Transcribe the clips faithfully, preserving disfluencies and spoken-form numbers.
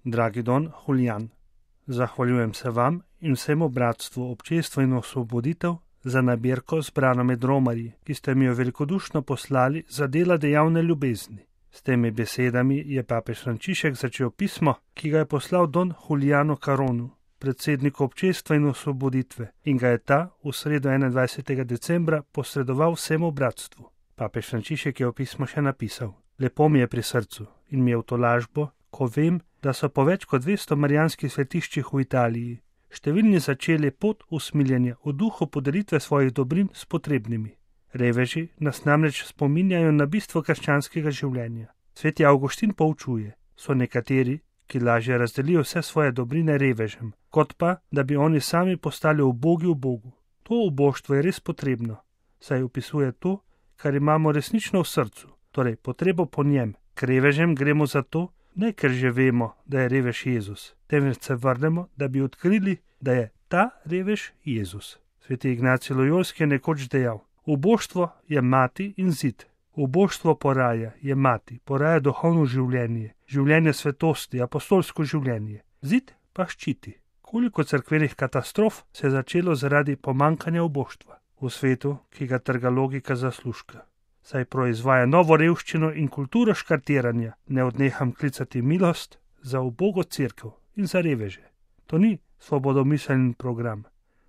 Dragi Don Julijan, zahvaljujem se vam in vsemu bratstvu Občestvo in osvoboditev za nabirko zbrano med romarji, ki ste mi jo velikodušno poslali za dela dejavne ljubezni. S temi besedami je papež Frančišek začel pismo, ki ga je poslal Don Julijanu Caronu, predsedniku Občestva in osvoboditve, in ga je ta v sredo enaindvajsetega decembra posredoval vsemu bratstvu. Papež Frančišek je v pismo še napisal: Lepo mi je pri srcu in mi je v tolažbo, ko vem, da so po več kot dvesto marijanskih svetiščih v Italiji številni začeli pot usmiljenja v duhu podelitve svojih dobrin s potrebnimi. Reveži nas namreč spominjajo na bistvo krščanskega življenja. Sveti Avguštin poučuje, so nekateri, ki lažje razdelijo vse svoje dobrine revežem, kot pa, da bi oni sami postali ubogi v Bogu. To uboštvo je res potrebno, saj opisuje to, kar imamo resnično v srcu, torej potrebo po njem. K revežem gremo zato, ne ker že vemo, da je revež Jezus, temveč se vrnemo, da bi odkrili, da je ta revež Jezus. Sveti Ignacij Lojolski je nekoč dejal: uboštvo je mati in zid. Uboštvo poraja, je mati, poraja duhovno življenje, življenje svetosti, apostolsko življenje. Zid pa ščiti. Koliko cerkvenih katastrof se je začelo zaradi pomankanja uboštva v svetu, ki ga trga logika zaslužka. Saj proizvaja novo revščino in kulturo škartiranja, ne odneham klicati milost za ubogo cerkev in za reveže. To ni svobodomiseln program,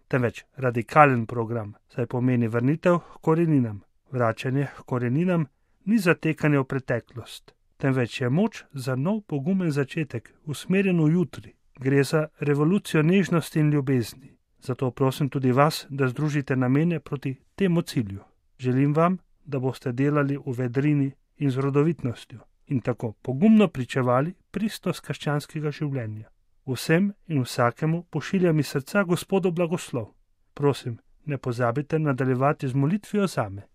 temveč radikalen program, saj pomeni vrnitev k koreninam. Vračanje k koreninam ni zatekanje v preteklost, temveč je moč za nov pogumen začetek, usmerjen v jutri. Gre za revolucijo nežnosti in ljubezni. Zato prosim tudi vas, da združite namene proti temu cilju. Želim vam, da boste delali v vedrini in z rodovitnostjo in tako pogumno pričevali pristnost krščanskega življenja. Vsem in vsakemu pošiljam iz srca Gospodov blagoslov. Prosim, ne pozabite nadaljevati z molitvijo zame.